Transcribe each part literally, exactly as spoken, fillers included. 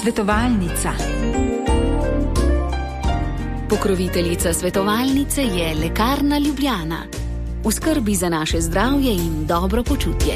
Svetovalnica. Pokroviteljica svetovalnice je Lekarna Ljubljana. V skrbi za naše zdravje in dobro počutje.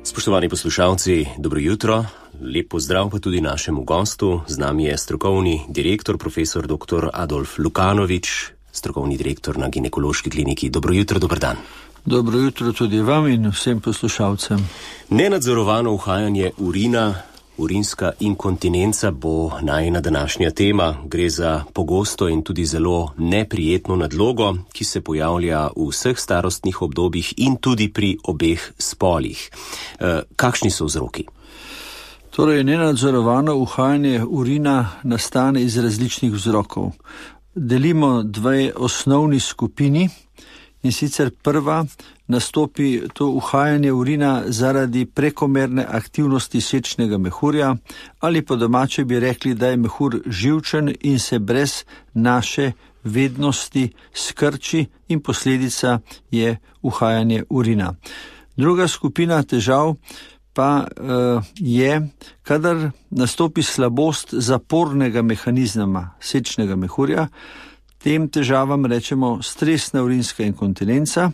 Spoštovani poslušalci, dobro jutro. Lep pozdrav pa tudi našemu gostu. Z nami je strokovni direktor, profesor doktor Adolf Lukanovič, strokovni direktor na ginekološki kliniki. Dobro jutro, dober dan. Dobro jutro tudi vam in vsem poslušalcem. Nenadzorovano uhajanje urina, urinska inkontinenca bo najina današnja tema. Gre za pogosto in tudi zelo neprijetno nadlogo, ki se pojavlja v vseh starostnih obdobjih in tudi pri obeh spolih. E, kakšni so vzroki? Torej, nenadzorovano uhajanje urina nastane iz različnih vzrokov. Delimo dve osnovni skupini. In sicer prva, nastopi to uhajanje urina zaradi prekomerne aktivnosti sečnega mehurja, ali po domače bi rekli, da je mehur živčen in se brez naše vednosti skrči in posledica je uhajanje urina. Druga skupina težav pa uh, je, kadar nastopi slabost zapornega mehanizma sečnega mehurja. Tem težavam rečemo stresna urinska inkontinenca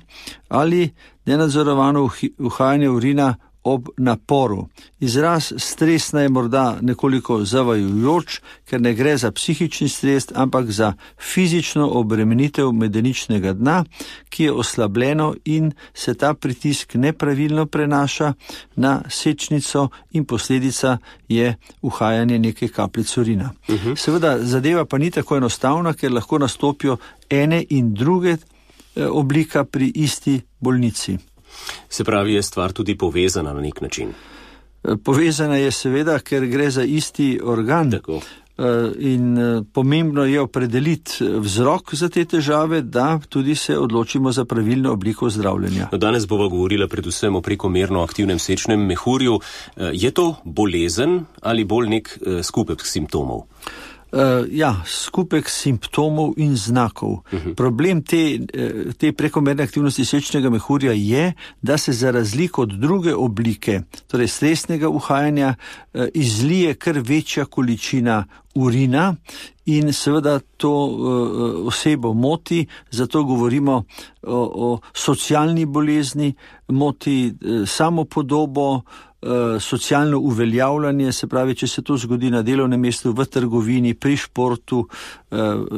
ali nenadzorovano uhajanje urina ob naporu. Izraz stresna je morda nekoliko zavajajoč, ker ne gre za psihični stres, ampak za fizično obremenitev medeničnega dna, ki je oslabljeno in se ta pritisk nepravilno prenaša na sečnico in posledica je uhajanje neke kapljice urina. Uh-huh. Seveda zadeva pa ni tako enostavna, ker lahko nastopijo ene in druge oblika pri isti bolnici. Se pravi, je stvar tudi povezana na nek način? Povezana je seveda, ker gre za isti organ. Tako. In pomembno je opredeliti vzrok za te težave, da tudi se odločimo za pravilno obliko zdravljenja. No, danes bova govorila predvsem o prekomerno aktivnem sečnem mehurju. Je to bolezen ali bolj nek skupek simptomov? Uh, ja, skupek simptomov in znakov. Uh-huh. Problem te, te prekomerne aktivnosti sečnega mehurja je, da se za razliko od druge oblike, torej stresnega uhajanja, uh, izlije kar večja količina urina in seveda to uh, osebo moti, zato govorimo o, o socialni bolezni, moti uh, samopodobo, socialno uveljavljanje, se pravi, če se to zgodi na delovnem mestu, v trgovini, pri športu,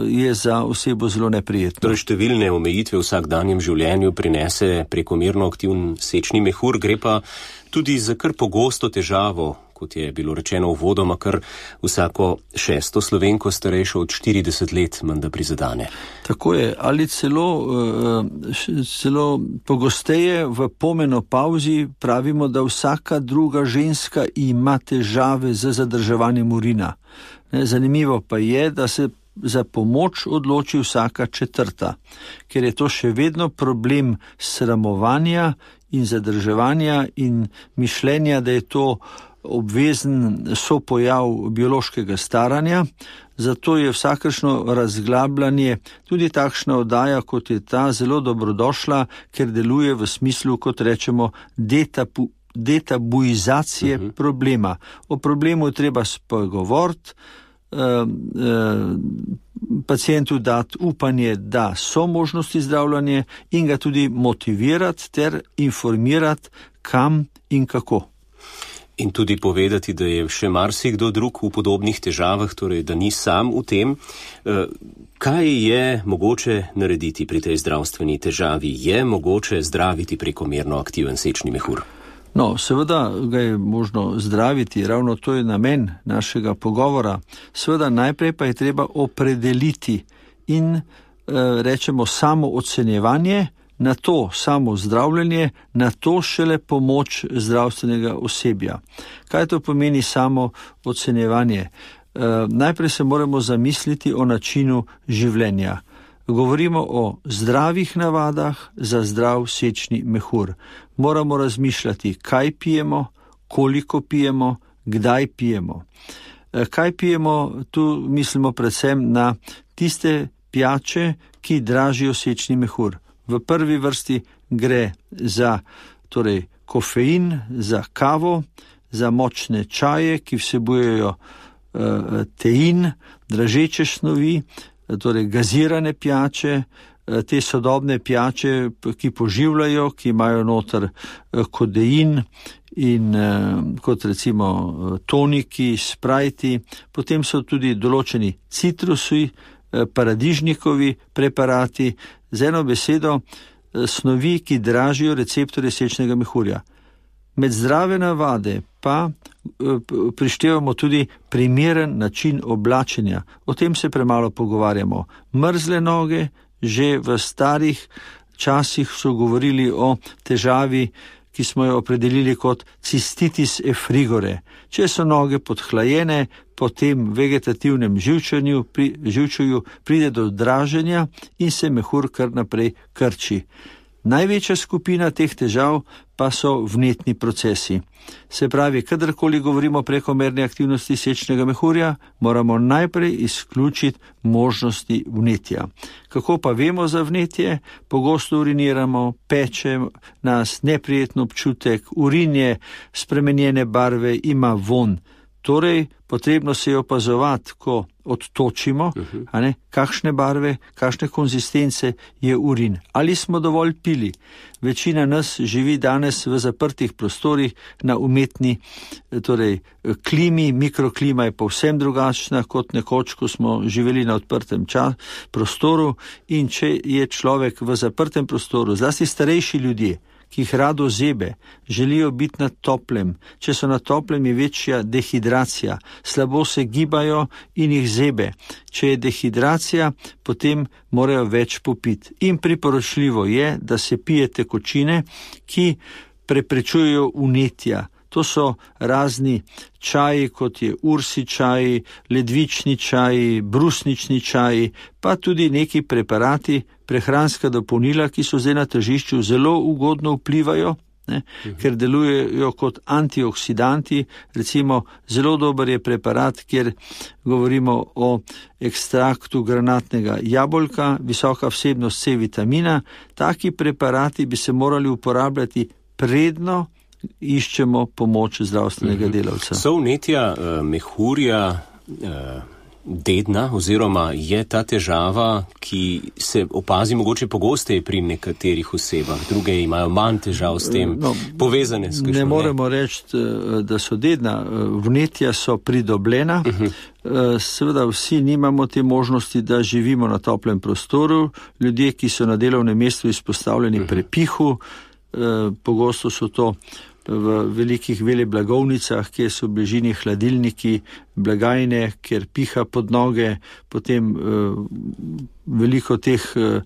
je za osebo zelo neprijetno. Torej, številne omejitve v vsakdanjem življenju prinese prekomerno aktivn sečni mehur, gre pa tudi za kar pogosto težavo, kot je bilo rečeno uvodoma, kar vsako šesto Slovenko starejšo od štirideset let menda prizadane. Tako je, ali celo, celo pogosteje v pomenopavzi pravimo, da vsaka druga ženska ima težave z zadrževanjem urina. Zanimivo pa je, da se za pomoč odloči vsaka četrta, ker je to še vedno problem sramovanja in zadrževanja in mišljenja, da je to obvezen sopojav biološkega staranja, zato je vsakršno razglabljanje, tudi takšna oddaja, kot je ta, zelo dobrodošla, ker deluje v smislu, kot rečemo, detapu, detabuizacije uh-huh. problema. O problemu je treba spregovoriti, eh, eh, pacientu dati upanje, da so možnosti zdravljanja in ga tudi motivirati ter informirati, kam in kako. In tudi povedati, da je še marsikdo drug v podobnih težavah, torej da ni sam v tem. Kaj je mogoče narediti pri tej zdravstveni težavi? Je mogoče zdraviti prekomerno aktiven sečni mehur? No, seveda ga je možno zdraviti, ravno to je namen našega pogovora. Seveda najprej pa je treba opredeliti in e, rečemo samo ocenjevanje, na to samo zdravljenje, na to šele pomoč zdravstvenega osebja. Kaj to pomeni samo ocenjevanje? E, najprej se moramo zamisliti o načinu življenja. Govorimo o zdravih navadah za zdrav sečni mehur. Moramo razmišljati, kaj pijemo, koliko pijemo, kdaj pijemo. Kaj pijemo? Tu mislimo predvsem na tiste pijače, ki dražijo sečni mehur. V prvi vrsti gre za torej, kofein, za kavo, za močne čaje, ki vsebujejo uh, tein, dražeče snovi, torej gazirane pijače, uh, te sodobne pijače, ki poživljajo, ki imajo noter uh, kodein in uh, kot recimo uh, toniki, sprajti. Potem so tudi določeni citrusi, uh, paradižnikovi preparati, z eno besedo uh, snovi, ki dražijo receptorje sečnega mehurja. Med zdrave navade pa prištevamo tudi primeren način oblačenja. O tem se premalo pogovarjamo. Mrzle noge, že v starih časih so govorili o težavi, ki smo jo opredelili kot cistitis effrigore. Če so noge podhlajene, po tem vegetativnem živčanju, pri, živčuju pride do draženja in se mehur kar naprej krči. Največja skupina teh težav pa so vnetni procesi. Se pravi, kadarkoli govorimo o prekomerni aktivnosti sečnega mehurja, moramo najprej izključiti možnosti vnetja. Kako pa vemo za vnetje? Pogosto uriniramo, peče nas neprijetno občutek, urin je spremenjene barve, ima von. Torej, potrebno se je opazovati, ko odtočimo, a ne, kakšne barve, kakšne konzistence je urin. Ali smo dovolj pili? Večina nas živi danes v zaprtih prostorih na umetni torej, klimi, mikroklima je povsem drugačna kot nekoč, ko smo živeli na odprtem čas, prostoru, in če je človek v zaprtem prostoru, zlasti starejši ljudje, ki jih rado zebe, želijo biti na toplem. Če so na toplem, je večja dehidracija, slabo se gibajo in jih zebe. Če je dehidracija, potem morajo več popiti. In priporočljivo je, da se pije tekočine, ki preprečujejo vnetja. To so razni čaji, kot je ursi čaji, ledvični čaji, brusnični čaji, pa tudi neki preparati, prehranska dopolnila, ki so zdaj na tržišču, zelo ugodno vplivajo, ne, uh-huh. ker delujejo kot antioksidanti. Recimo, zelo dober je preparat, kjer govorimo o ekstraktu granatnega jabolka, visoka vsebnost C vitamina. Taki preparati bi se morali uporabljati predno iščemo pomoč zdravstvenega mm-hmm. delavca. So vnetja uh, mehurja uh, dedna oziroma je ta težava, ki se opazi mogoče pogosteje pri nekaterih osebah, druge imajo manj težav s tem no, povezane s kakšno? Ne moremo reči, da so dedna. Vnetja so pridobljena. Uh-huh. Seveda vsi nimamo te možnosti, da živimo na toplem prostoru. Ljudje, ki so na delovnem mestu izpostavljeni uh-huh. prepihu, pogosto so to v velikih veleblagovnicah, kjer so v bližini hladilniki, blagajne, kjer piha pod noge, potem uh, veliko teh uh,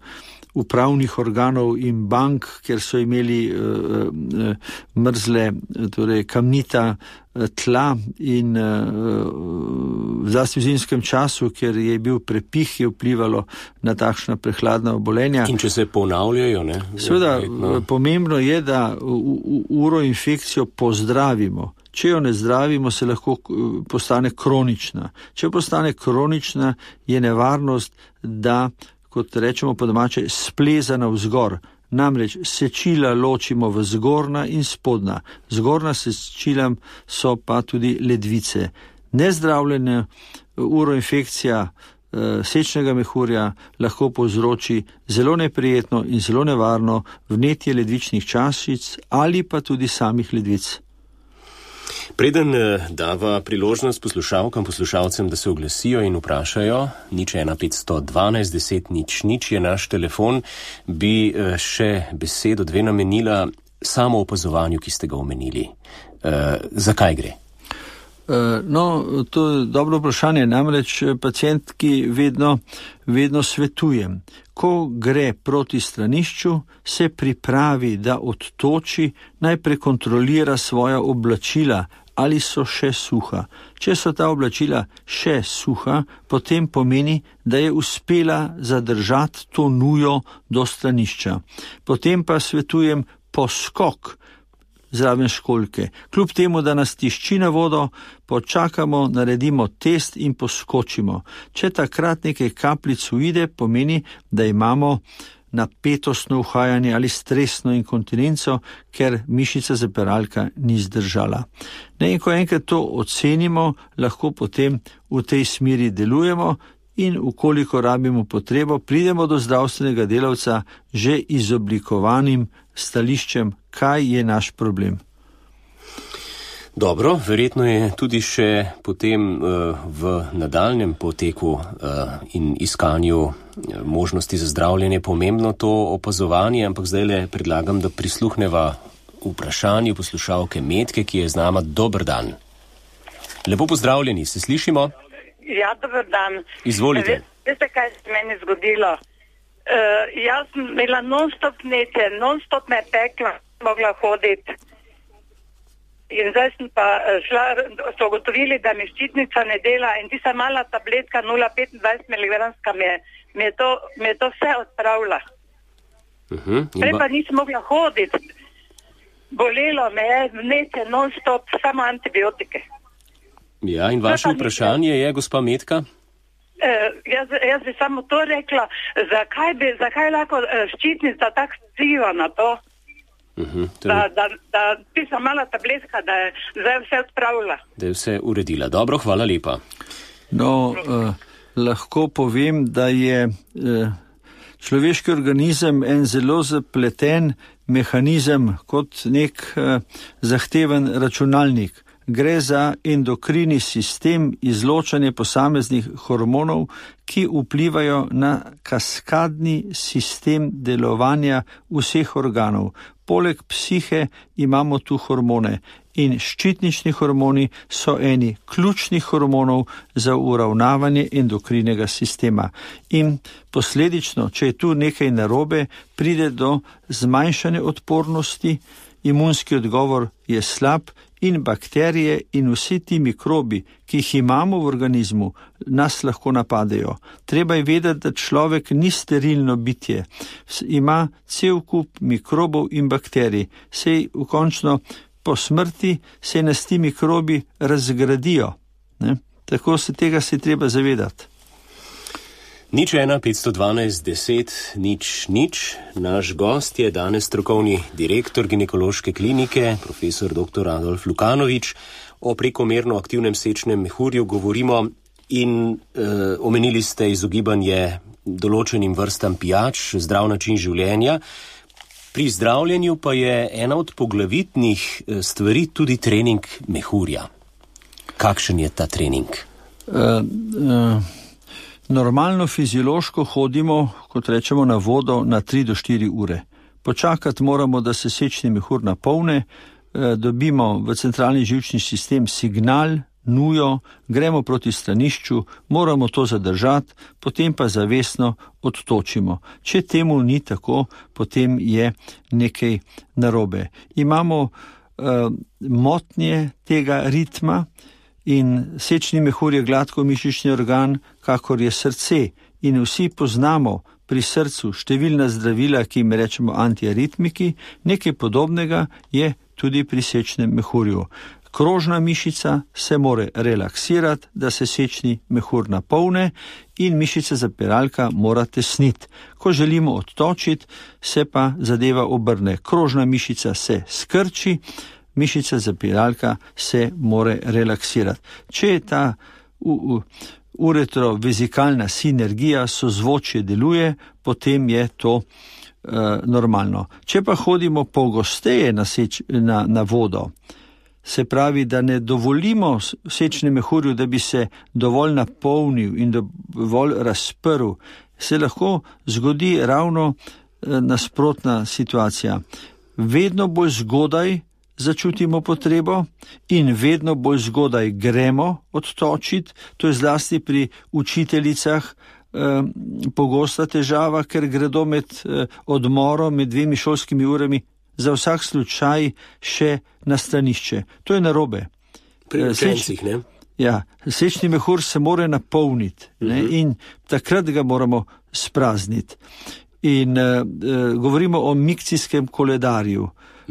upravnih organov in bank, kjer so imeli uh, uh, mrzle, torej kamnita uh, tla in uh, zlasti v zimskem času, ker je bil prepih, je vplivalo na takšna prehladna obolenja. In če se ponavljajo, ne? Seveda, no. Pomembno je, da uroinfekcijo pozdravimo. Če jo ne zdravimo, se lahko postane kronična. Če postane kronična, je nevarnost, da, kot rečemo po domače, spleza navzgor. Namreč sečila ločimo v zgornja in spodnja. Zgornja sečila so pa tudi ledvice. Nezdravljena uroinfekcija e, sečnega mehurja lahko povzroči zelo neprijetno in zelo nevarno vnetje ledvičnih čašic ali pa tudi samih ledvic. Preden dava priložnost poslušalkam, poslušalcem, da se oglasijo in vprašajo, nič ena petsto dvanajst deset nič nič je naš telefon, bi še besedo dve namenila samo opazovanju, ki ste ga omenili. E, zakaj gre? No, to je dobro vprašanje, namreč pacientki vedno, vedno svetujem. Ko gre proti stranišču, se pripravi, da odtoči, najprej kontrolira svoja oblačila, ali so še suha. Če so ta oblačila še suha, potem pomeni, da je uspela zadržati to nujo do stranišča. Potem pa svetujem poskok zraven školjke. Kljub temu, da nas tišči na vodo, počakamo, naredimo test in poskočimo. Če takrat nekaj kapljic uide, pomeni, da imamo napetostno uhajanje ali stresno inkontinenco, ker mišica zapiralka ni zdržala. Ne, in ko enkrat to ocenimo, lahko potem v tej smeri delujemo in ukoliko rabimo potrebo, pridemo do zdravstvenega delavca že izoblikovanim stališčem, kaj je naš problem. Dobro, verjetno je tudi še potem uh, v nadaljnem poteku uh, in iskanju uh, možnosti za zdravljenje pomembno to opazovanje, ampak zdaj le predlagam, da prisluhneva vprašanju poslušalke Metke, ki je z nama. Dober dan. Lepo pozdravljeni, se slišimo? Ja, dober dan. Izvolite. Veste, kaj se meni zgodilo? Uh, jaz sem imela non-stop nece, non-stop me pekla, mogla hoditi. In zdaj sem pa šla, so ugotovili, da mi ščitnica ne dela in tista mala tabletka nula petindvajset miligramska mi je, mi je, to, mi je to vse odpravila. Uh-huh. Prej pa nisem mogla hoditi. Bolelo me je, nece, non-stop, samo antibiotike. Ja, in vaše vprašanje je, gospa Metka? Uh, jaz, jaz bi samo to rekla, zakaj bi, zakaj lahko uh, ščitnica tako vpliva na to? Uh-huh, da, da, da tista mala tabletka, da je zdaj vse odpravila. Da je vse uredila. Dobro, hvala lepa. No, uh, lahko povem, da je uh, človeški organizem en zelo zapleten mehanizem kot nek uh, zahteven računalnik. Gre za endokrini sistem, izločanje posameznih hormonov, ki vplivajo na kaskadni sistem delovanja vseh organov. Poleg psihe imamo tu hormone in ščitnični hormoni so eni ključnih hormonov za uravnavanje endokrinega sistema. In posledično, če je tu nekaj narobe, pride do zmanjšane odpornosti, imunski odgovor je slab in bakterije in vsi ti mikrobi, ki jih imamo v organizmu, nas lahko napadejo. Treba je vedeti, da človek ni sterilno bitje. Ima cel kup mikrobov in bakterij. Sej v končno po smrti se nas ti mikrobi razgradijo. Ne? Tako se tega se treba zavedati. Nič ena, petsto dvanajst, deset, nič, nič. Naš gost je danes strokovni direktor ginekološke klinike, profesor doktor Adolf Lukanovič. O prekomerno aktivnem sečnem mehurju govorimo in e, omenili ste izogibanje določenim vrstam pijač, zdrav način življenja. Pri zdravljenju pa je ena od poglavitnih stvari tudi trening mehurja. Kakšen je ta trening? Uh, uh... Normalno fiziološko hodimo, kot rečemo, na vodo na tri do štiri ure. Počakati moramo, da se sečni mehur napolne, dobimo v centralni živčni sistem signal, nujo, gremo proti stranišču, moramo to zadržati, potem pa zavestno odtočimo. Če temu ni tako, potem je nekaj narobe. Imamo uh, motnje tega ritma, in sečni mehur je gladko mišični organ, kakor je srce. In vsi poznamo pri srcu številna zdravila, ki jim rečemo antiaritmiki, nekaj podobnega je tudi pri sečnem mehurju. Krožna mišica se more relaksirati, da se sečni mehur napolne in mišica zapiralka mora tesniti. Ko želimo odtočiti, se pa zadeva obrne. Krožna mišica se skrči, mišica zapiralka se more relaksirati. Če je ta uretrovezikalna sinergija, sozvočje deluje, potem je to uh, normalno. Če pa hodimo pogosteje na, seč, na, na vodo, se pravi, da ne dovolimo sečnemu mehurju, da bi se dovolj napolnil in dovolj razprl, se lahko zgodi ravno uh, nasprotna situacija. Vedno bolj zgodaj začutimo potrebo in vedno bolj zgodaj gremo odtočiti. To je zlasti pri učiteljicah eh, pogosta težava, ker gredo med eh, odmorom, med dvemi šolskimi urami za vsak slučaj še na stranišče. To je narobe. Pri učencih, ne? Ja, sečni mehur se mora napolniti, ne, uh-huh. in takrat ga moramo sprazniti. In eh, govorimo o mikcijskem koledarju.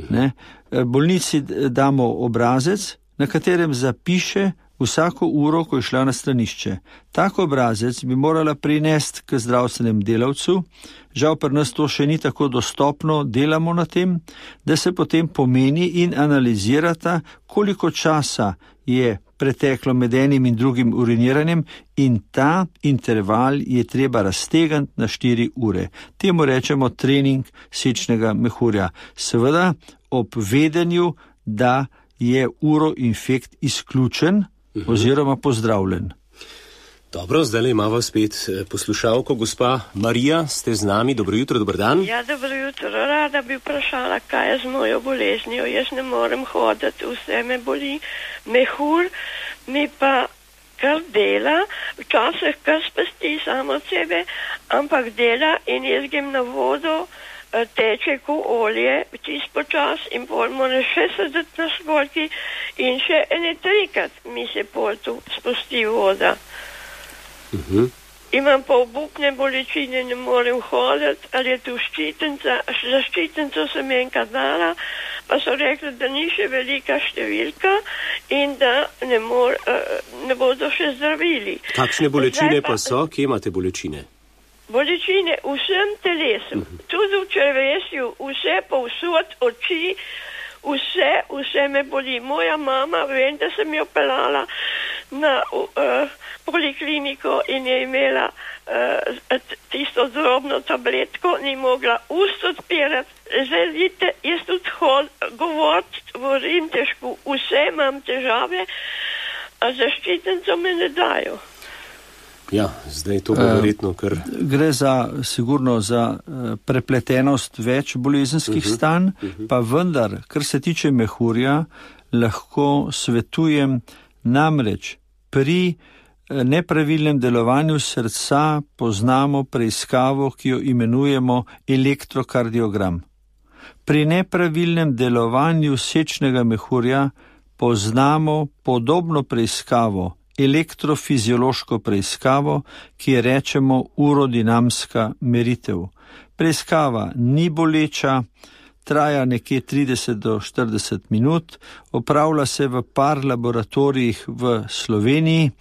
Ne? Bolnici damo obrazec, na katerem zapiše vsako uro, ko je šla na stranišče. Tak obrazec bi morala prinesti k zdravstvenem delavcu. Žal pri nas to še ni tako dostopno, delamo na tem, da se potem pomeni in analizirata, koliko časa je preteklo med enim in drugim uriniranjem in ta interval je treba raztegant na štiri ure. Temu rečemo trening sečnega mehurja. Seveda ob vedenju, da je uroinfekt izključen oziroma pozdravljen. Dobro, zdaj imamo spet poslušalko. Gospa Marija, ste z nami. Dobro jutro, dober dan. Ja, dobro jutro. Rada bi vprašala, kaj je z mojo boleznijo. Jaz ne morem hoditi, vse me boli. Mehur mi pa kar dela, včasih kar spasti samo od sebe, ampak dela in jaz grem na vodo, teče ko olje, čist počas in pol mora še sedeti na školjki in še ene trikrat mi se pol tu spusti voda. Uh-huh. Imam pa obupne bolečine, ne morem hoditi, ali je tu ščitenca, za ščitenco sem enkrat dala, pa so rekli, da ni še velika številka in da ne, mor, ne bodo še zdravili. Kakšne bolečine pa, pa so? Kje imate bolečine? Bolečine v vsem telesu, uh-huh. Tudi v črevesju, vse povsod, oči, vse, vse me boli. Moja mama, vem, da sem jo pelala na uh, polikliniko in je imela uh, tisto drobno tabletko, ni mogla ust odpirati. Želite, jaz tudi hod, govoriti, govorim težko, vse imam težave, a zaščitenco me ne dajo. Ja, zdaj to bo verjetno kar... Gre za, sigurno za prepletenost več bolezenskih uh-huh, stanj, uh-huh. Pa vendar, kar se tiče mehurja, lahko svetujem namreč pri nepravilnem delovanju srca poznamo preiskavo, ki jo imenujemo elektrokardiogram. Pri nepravilnem delovanju sečnega mehurja poznamo podobno preiskavo, elektrofiziološko preiskavo, ki je rečemo urodinamska meritev. Preiskava ni boleča, traja nekje trideset do štirideset minut, opravlja se v par laboratorijih v Sloveniji,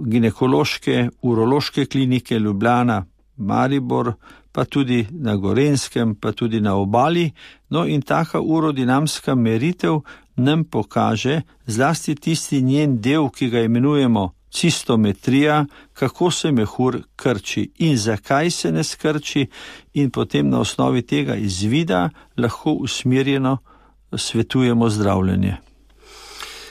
ginekološke, urološke klinike Ljubljana, Maribor, pa tudi na Gorenjskem, pa tudi na Obali. No in taka urodinamska meritev nam pokaže zlasti tisti njen del, ki ga imenujemo cistometrija, kako se mehur krči in zakaj se ne skrči in potem na osnovi tega izvida lahko usmerjeno svetujemo zdravljenje.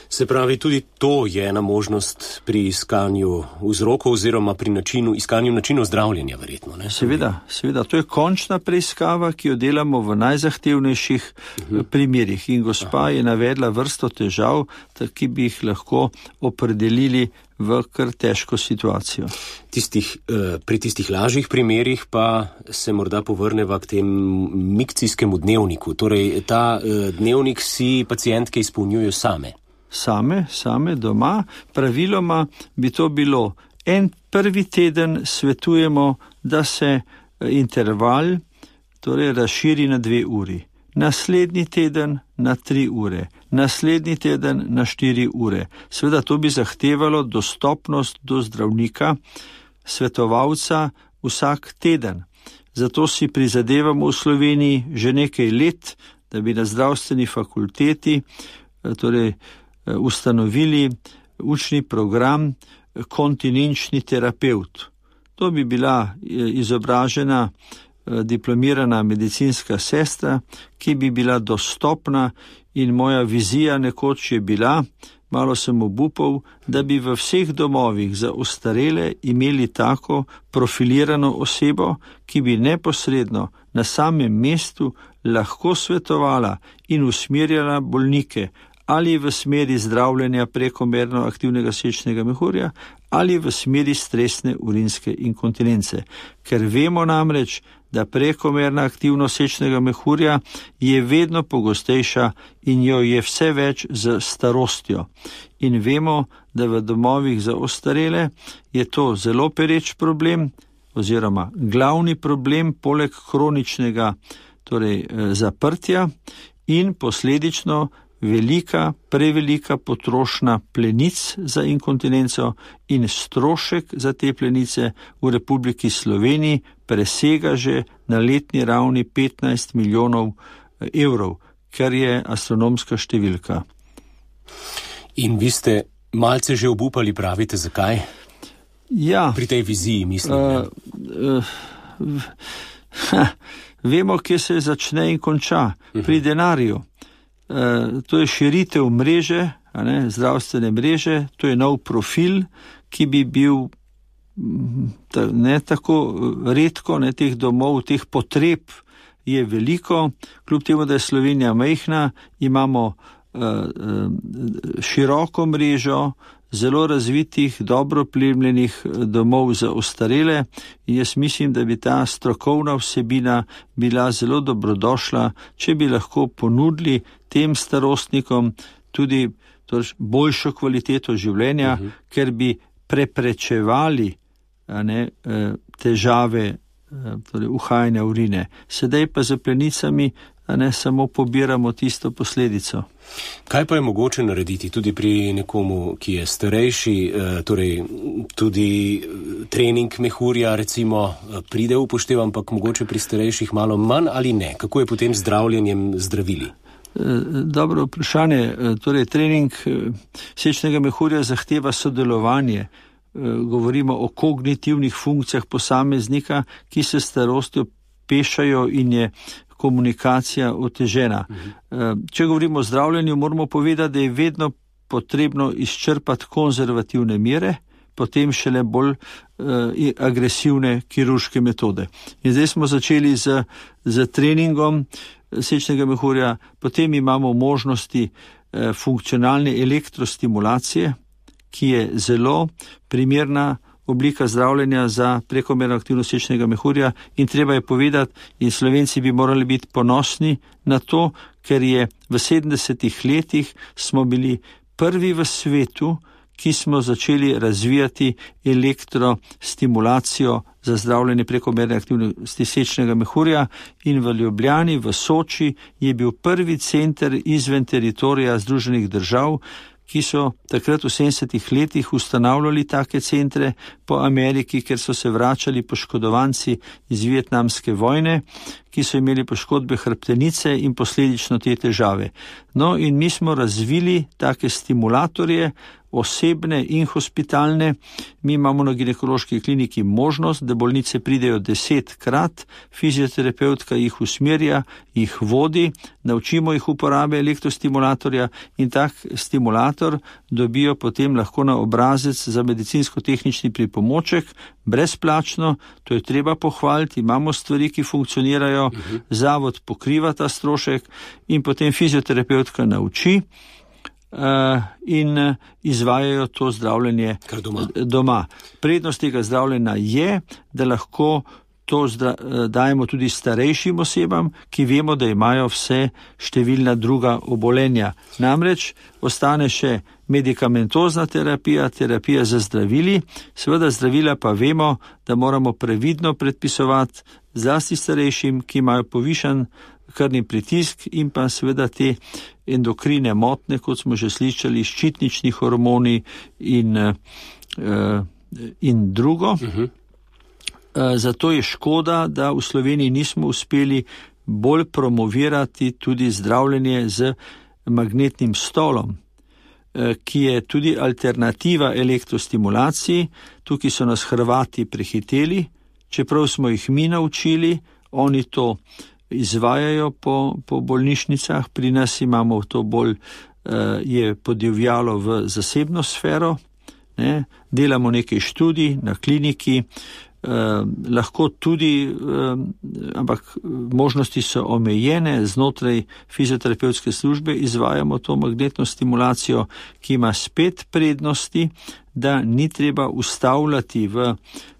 Se pravi, tudi to je ena možnost pri iskanju vzrokov oziroma pri načinu, iskanju načinov zdravljenja, verjetno. Ne? Seveda, seveda, to je končna preiskava, ki jo delamo v najzahtevnejših uh-huh. primerih. In gospa Aha. je navedla vrsto težav, ki bi jih lahko opredelili v kar težko situacijo. Tistih, pri tistih lažjih primerih pa se morda povrneva k tem mikcijskemu dnevniku. Torej, ta dnevnik si pacientke izpolnjujo same. Same, same doma. Praviloma bi to bilo en prvi teden svetujemo, da se interval torej razširi na dve uri. Naslednji teden na tri ure. Naslednji teden na štiri ure. Seveda to bi zahtevalo dostopnost do zdravnika, svetovalca vsak teden. Zato si prizadevamo v Sloveniji že nekaj let, da bi na zdravstveni fakulteti torej ustanovili učni program kontinenčni terapeut. To bi bila izobražena diplomirana medicinska sestra, ki bi bila dostopna in moja vizija nekoč je bila, malo sem obupal, da bi v vseh domovih za ostarele imeli tako profilirano osebo, ki bi neposredno na samem mestu lahko svetovala in usmerjala bolnike ali v smeri zdravljenja prekomerno aktivnega sečnega mehurja ali v smeri stresne urinske inkontinence. Ker vemo namreč, da prekomerna aktivnost sečnega mehurja je vedno pogostejša in jo je vse več z starostjo. In vemo, da v domovih za ostarele je to zelo pereč problem oziroma glavni problem poleg kroničnega torej zaprtja in posledično velika, prevelika potrošnja plenic za inkontinenco in strošek za te plenice v Republiki Sloveniji presega že na letni ravni petnajst milijonov evrov, kar je astronomska številka. In vi ste malce že obupali, pravite, zakaj? Ja. Pri tej viziji, mislim. Uh, uh, ha, vemo, kje se začne in konča. Uh-huh. Pri denarju. Uh, to je širitev mreže, a ne, zdravstvene mreže, to je nov profil, ki bi bil ta, ne tako redko, ne, teh domov, teh potreb je veliko. Kljub temu, da je Slovenija majhna, imamo uh, uh, široko mrežo zelo razvitih, dobro plemljenih domov za ostarele in jaz mislim, da bi ta strokovna vsebina bila zelo dobrodošla, če bi lahko ponudili tem starostnikom tudi torej, boljšo kvaliteto življenja, uh-huh. ker bi preprečevali a ne, težave torej, uhajanja urine. Sedaj pa za plenicami a ne samo pobiramo tisto posledico. Kaj pa je mogoče narediti tudi pri nekomu, ki je starejši, torej tudi trening mehurja recimo pride v upoštev, ampak mogoče pri starejših malo manj ali ne? Kako je potem z zdravljenjem zdravili? Dobro vprašanje. Torej, trening sečnega mehurja zahteva sodelovanje. Govorimo o kognitivnih funkcijah posameznika, ki se starostjo pešajo in je komunikacija otežena. Uh-huh. Če govorimo o zdravljenju, moramo povedati, da je vedno potrebno izčrpati konzervativne mere, potem šele bolj uh, agresivne kirurške metode. In zdaj smo začeli z, z treningom sečnega mehurja, potem imamo možnosti uh, funkcionalne elektrostimulacije, ki je zelo primerna oblika zdravljenja za prekomerno aktivnost sečnega mehurja in treba je povedati, in Slovenci bi morali biti ponosni na to, ker je v sedemdesetih letih smo bili prvi v svetu, ki smo začeli razvijati elektrostimulacijo za zdravljenje prekomerne aktivnosti sečnega mehurja in v Ljubljani, v Soči je bil prvi center izven teritorija Združenih držav, ki so takrat v sedemdesetih letih ustanavljali take centre po Ameriki, ker so se vračali poškodovanci iz vietnamske vojne, ki so imeli poškodbe hrbtenice in posledično te težave. No in mi smo razvili take stimulatorje, osebne in hospitalne. Mi imamo na ginekološki kliniki možnost, da bolnice pridejo desetkrat, fizioterapeutka jih usmerja, jih vodi, naučimo jih uporabe elektrostimulatorja in tak stimulator dobijo potem lahko na obrazec za medicinsko-tehnični pripomoček, brezplačno, to je treba pohvaliti, imamo stvari, ki funkcionirajo, uh-huh. Zavod pokriva ta strošek in potem fizioterapeutka nauči Uh, in uh, izvajajo to zdravljenje doma. doma. Prednost tega zdravljenja je, da lahko to zdra, uh, dajemo tudi starejšim osebam, ki vemo, da imajo vse številna druga obolenja. Namreč ostane še medikamentozna terapija, terapija za zdravili, seveda zdravila pa vemo, da moramo previdno predpisovati zlasti starejšim, ki imajo povišan krvni pritisk in pa seveda te endokrine motnje, kot smo že slišali, ščitnični hormoni in, uh, in drugo. Uh-huh. Uh, zato je škoda, da v Sloveniji nismo uspeli bolj promovirati tudi zdravljenje z magnetnim stolom, uh, ki je tudi alternativa elektrostimulaciji. Tukaj so nas Hrvati prehiteli, čeprav smo jih mi naučili, oni to izvajajo po, po bolnišnicah, pri nas imamo to bolj, uh, je podivjalo v zasebno sfero, ne? Delamo nekaj študij na kliniki, uh, lahko tudi, uh, ampak možnosti so omejene, znotraj fizioterapevtske službe izvajamo to magnetno stimulacijo, ki ima spet prednosti, da ni treba ustavljati v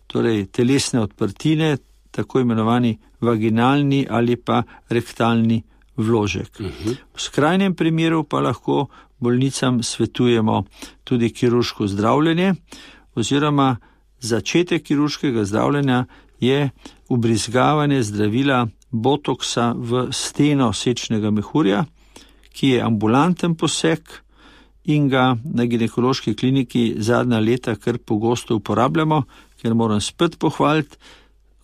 torej, telesne odprtine, tako imenovani vaginalni ali pa rektalni vložek. Uh-huh. V skrajnem primeru pa lahko bolnicam svetujemo tudi kirurško zdravljenje, oziroma začetek kirurškega zdravljenja je ubrizgavanje zdravila botoksa v steno sečnega mehurja, ki je ambulanten poseg in ga na ginekološki kliniki zadnja leta kar pogosto uporabljamo, ker moram spet pohvaliti,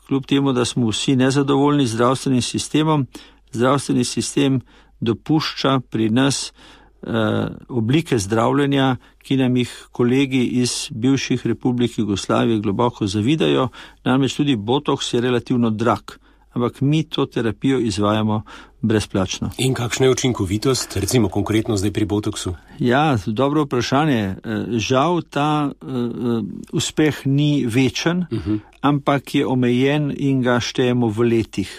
kljub temu, da smo vsi nezadovoljni z zdravstvenim sistemom, zdravstveni sistem dopušča pri nas eh, oblike zdravljenja, ki nam jih kolegi iz bivših republik Jugoslavije globoko zavidajo, namreč tudi botoks je relativno drag, ampak mi to terapijo izvajamo brezplačno. In kakšna je učinkovitost, recimo konkretno zdaj pri botoksu? Ja, dobro vprašanje. Žal ta uh, uspeh ni večen, uh-huh. ampak je omejen in ga štejemo v letih.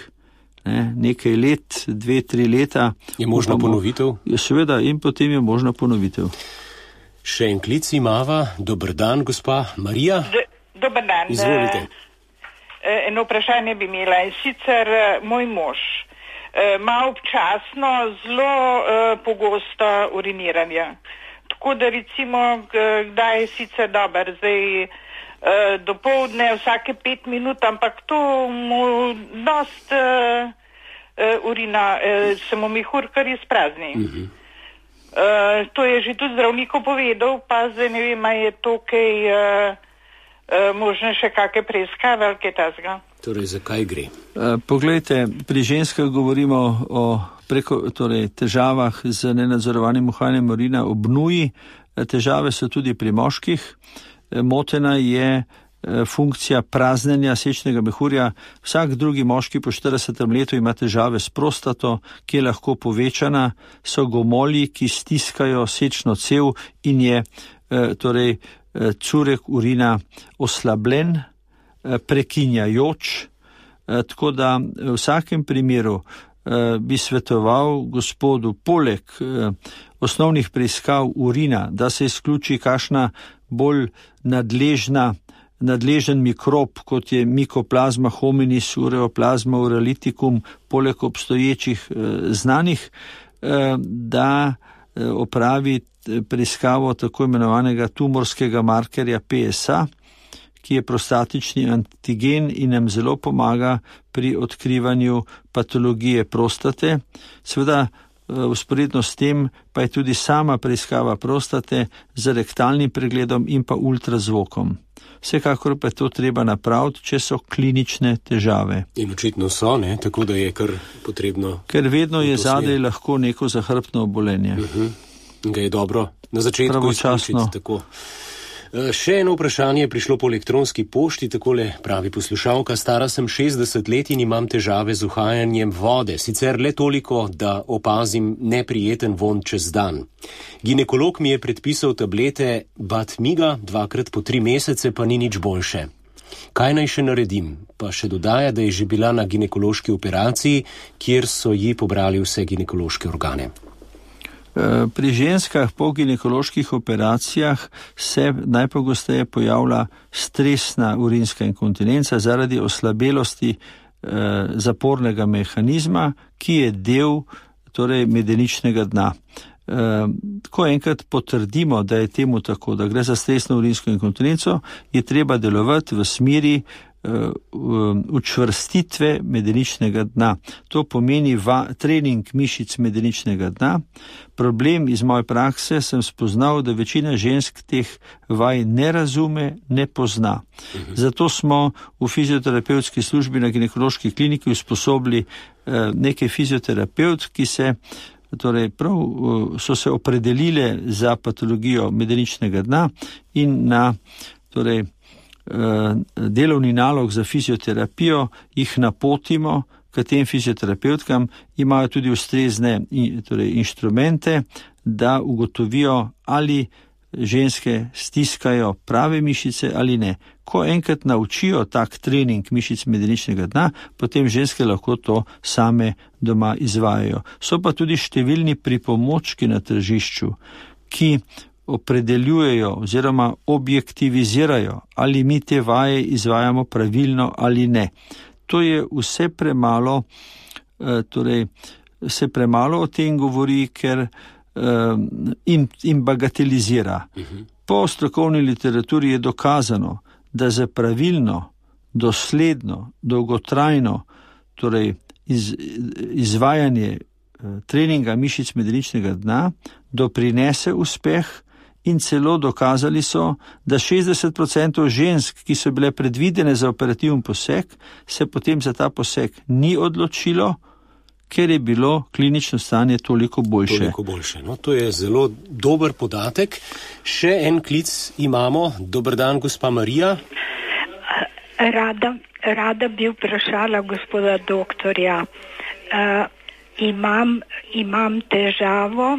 Ne, nekaj let, dve, tri leta. Je možna upamo, ponovitev? Je seveda, in potem je možna ponovitev. Še en klic imava. Dober dan, gospa Marija. D- dober dan. Izvolite. Eno vprašanje bi imela, in sicer moj mož ima občasno zelo uh, pogosto uriniranje. Tako da recimo, kdaj je sicer dober, zdaj uh, dopoldne vsake pet minut, ampak to mu dost uh, uh, urina, uh, se mu mehur kar izprazni. Uh-huh. Uh, to je že tudi zdravniku povedal, pa zdaj ne vem, je to kaj uh, uh, možno še kakšne preiskave ali kaj tasga. Torej, zakaj gre? Uh, poglejte, pri ženskah govorimo o preko, torej, težavah z nenadzorovanim uhajanjem urina ob nuji. Težave so tudi pri moških. Motena je funkcija praznenja sečnega mehurja. Vsak drugi moški po štiridesetem letu ima težave s prostato, ki je lahko povečana. So gomolji, ki stiskajo sečno cev in je torej, curek urina oslabljen, prekinjajoč, tako da v vsakem primeru bi svetoval gospodu poleg osnovnih preiskav urina, da se izključi kakšna bolj nadležna, nadležen mikrob, kot je Mycoplasma hominis, Ureoplazma uraliticum, poleg obstoječih znanih, da opravi preiskavo tako imenovanega tumorskega markerja P S A, ki je prostatični antigen in nam zelo pomaga pri odkrivanju patologije prostate. Seveda, vzporedno s tem pa je tudi sama preiskava prostate z rektalnim pregledom in pa ultrazvokom. Vsekakor pa je to treba napraviti, če so klinične težave. In očitno so, ne? Tako da je kar potrebno. Ker vedno je zadej lahko neko zahrbtno obolenje. Uh-huh. Ga je dobro na začetku izključiti tako. Še eno vprašanje je prišlo po elektronski pošti, takole pravi poslušalka. Stara sem šestdeset let in imam težave z uhajanjem vode, sicer le toliko, da opazim neprijeten von čez dan. Ginekolog mi je predpisal tablete Batmiga, dvakrat po tri mesece, pa ni nič boljše. Kaj naj še naredim? Pa še dodaja, da je že bila na ginekološki operaciji, kjer so ji pobrali vse ginekološke organe. Pri ženskah po ginekoloških operacijah se najpogosteje pojavlja stresna urinska inkontinenca zaradi oslabelosti eh, zapornega mehanizma, ki je del torej, medeničnega dna. Eh, ko enkrat potrdimo, da je temu tako, da gre za stresno urinsko inkontinenco, je treba delovati v smeri učvrstitve medeničnega dna. To pomeni va, trening mišic medeničnega dna. Problem iz moje prakse sem spoznal, da večina žensk teh vaj ne razume, ne pozna. Zato smo v fizioterapevtski službi na ginekološki kliniki usposobili nekaj fizioterapevt, ki se torej prav so se opredelile za patologijo medeničnega dna in na torej delovni nalog za fizioterapijo jih napotimo k tem fizioterapevtkam, imajo tudi ustrezne torej, inštrumente, da ugotovijo, ali ženske stiskajo prave mišice ali ne. Ko enkrat naučijo tak trening mišic medeničnega dna, potem ženske lahko to same doma izvajajo. So pa tudi številni pripomočki na tržišču, ki opredeljujejo oziroma objektivizirajo, ali mi te vaje izvajamo pravilno ali ne. To je vse premalo, torej se premalo o tem govori, ker in, in bagatelizira. Po strokovni literaturi je dokazano, da za pravilno, dosledno, dolgotrajno, torej iz, izvajanje treninga mišic medeničnega dna doprinese uspeh in celo dokazali so, da šestdeset odstotkov žensk, ki so bile predvidene za operativen poseg, se potem za ta poseg ni odločilo, ker je bilo klinično stanje toliko boljše. Toliko boljše. No, to je zelo dober podatek. Še en klic imamo. Dober dan, gospa Marija. Rada, rada bi vprašala gospoda doktorja. Uh, imam, imam težavo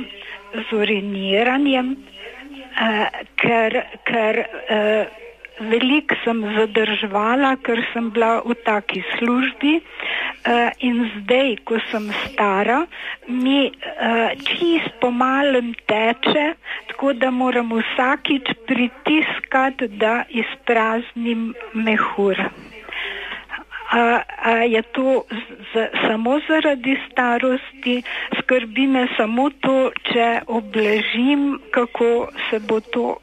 z uriniranjem, uh, ker, ker uh, veliko sem zadrževala, ker sem bila v taki službi. Uh, in zdaj, ko sem stara, mi uh, čist pomalem teče, tako da moram vsakič pritiskati, da izpraznim mehur. A, a je to z, samo zaradi starosti, skrbi me samo to, če obležim, kako se bo to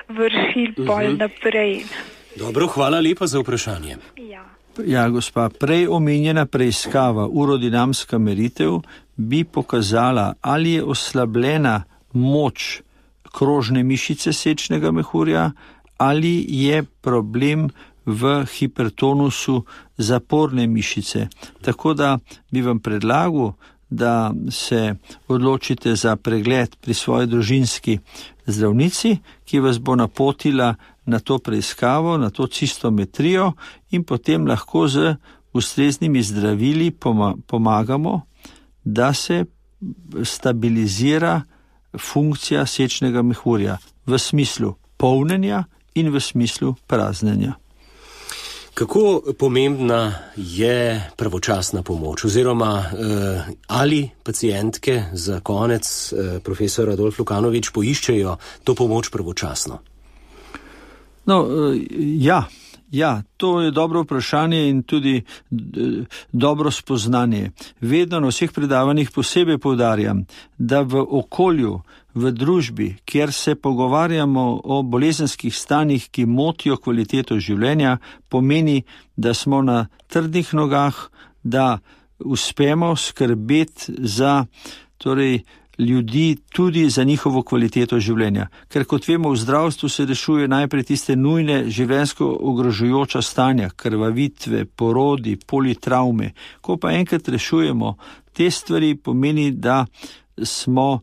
vršil uh-huh. pol naprej. Dobro, hvala lepa za vprašanje. Ja. Ja, gospa, prej omenjena preiskava, urodinamska meritev, bi pokazala, ali je oslabljena moč krožne mišice sečnega mehurja, ali je problem v hipertonusu zaporne mišice. Tako da bi vam predlagal, da se odločite za pregled pri svoji družinski zdravnici, ki vas bo napotila na to preiskavo, na to cistometrijo in potem lahko z ustreznimi zdravili pomagamo, da se stabilizira funkcija sečnega mehurja v smislu polnjenja in v smislu praznjenja. Kako pomembna je pravočasna pomoč oziroma eh, ali pacijentke za konec eh, profesor Adolf Lukanovič poiščejo to pomoč pravočasno? No, eh, ja, ja, to je dobro vprašanje in tudi d- dobro spoznanje. Vedno na vseh predavanjih posebej poudarjam, da v okolju, v družbi, kjer se pogovarjamo o bolezenskih stanjih, ki motijo kvaliteto življenja, pomeni, da smo na trdnih nogah, da uspemo skrbeti za torej, ljudi tudi za njihovo kvaliteto življenja. Ker kot vemo, v zdravstvu se rešuje najprej tiste nujne življenjsko ogrožujoča stanja, krvavitve, porodi, politravme. Ko pa enkrat rešujemo te stvari, pomeni, da smo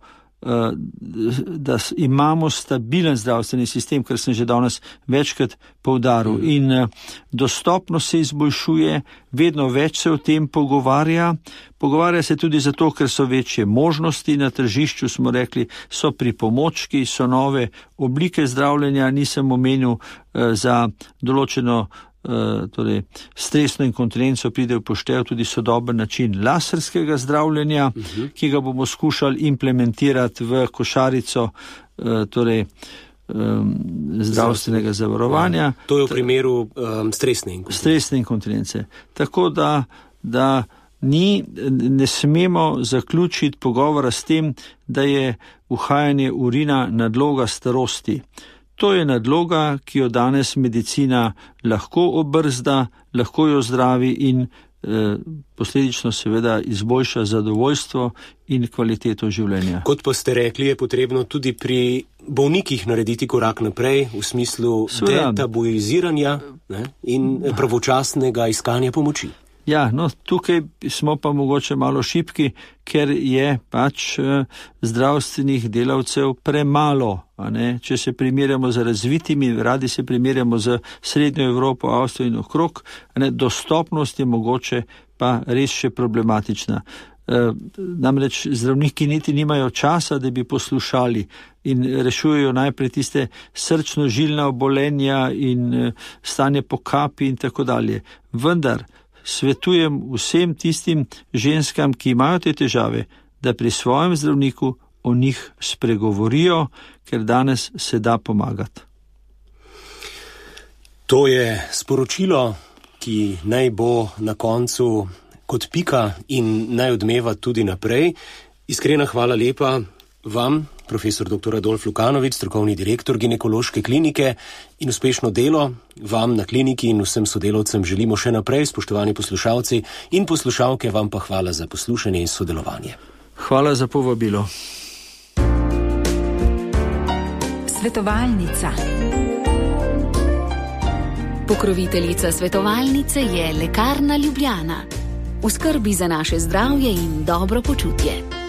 da imamo stabilen zdravstveni sistem, kar sem že danes večkrat poudaril. In dostopnost se izboljšuje, vedno več se o tem pogovarja. Pogovarja se tudi zato, ker so večje možnosti na tržišču, smo rekli, so pripomočki, so nove oblike zdravljenja, nisem omenil za določeno torej stresno inkontinenco pride v poštev tudi sodoben način laserskega zdravljenja, uh-huh. ki ga bomo skušali implementirati v košarico torej um, zdravstvenega zavarovanja. To je v primeru um, stresne inkontinence. Stresne inkontinence. Tako da, da ni, ne smemo zaključiti pogovora s tem, da je uhajanje urina nadloga starosti. To je nadloga, ki jo danes medicina lahko obrzda, lahko jo zdravi in eh, posledično seveda izboljša zadovoljstvo in kvaliteto življenja. Kot pa ste rekli, je potrebno tudi pri bolnikih narediti korak naprej v smislu detabuiziranja ne, in pravočasnega iskanja pomoči. Ja, no, tukaj smo pa mogoče malo šibki, ker je pač eh, zdravstvenih delavcev premalo. A ne? Če se primerjamo z razvitimi, radi se primerjamo z Srednjo Evropo, Avstrijo in okrog, a ne? Dostopnost je mogoče pa res še problematična. E, namreč zdravniki niti nimajo časa, da bi poslušali in rešujejo najprej tiste srčno-žilna obolenja in e, stanje po kapi in tako dalje. Vendar svetujem vsem tistim ženskam, ki imajo te težave, da pri svojem zdravniku o njih spregovorijo, ker danes se da pomagati. To je sporočilo, ki naj bo na koncu kot pika in naj odmeva tudi naprej. Iskrena hvala lepa vam, profesor doktor Adolf Lukanović, strokovni direktor ginekološke klinike, in uspešno delo vam na kliniki in vsem sodelavcem želimo še naprej, spoštovani poslušalci in poslušalke, vam pa hvala za poslušanje in sodelovanje. Hvala za povabilo. Svetovalnica. Pokroviteljica svetovalnice je Lekarna Ljubljana. V skrbi za naše zdravje in dobro počutje.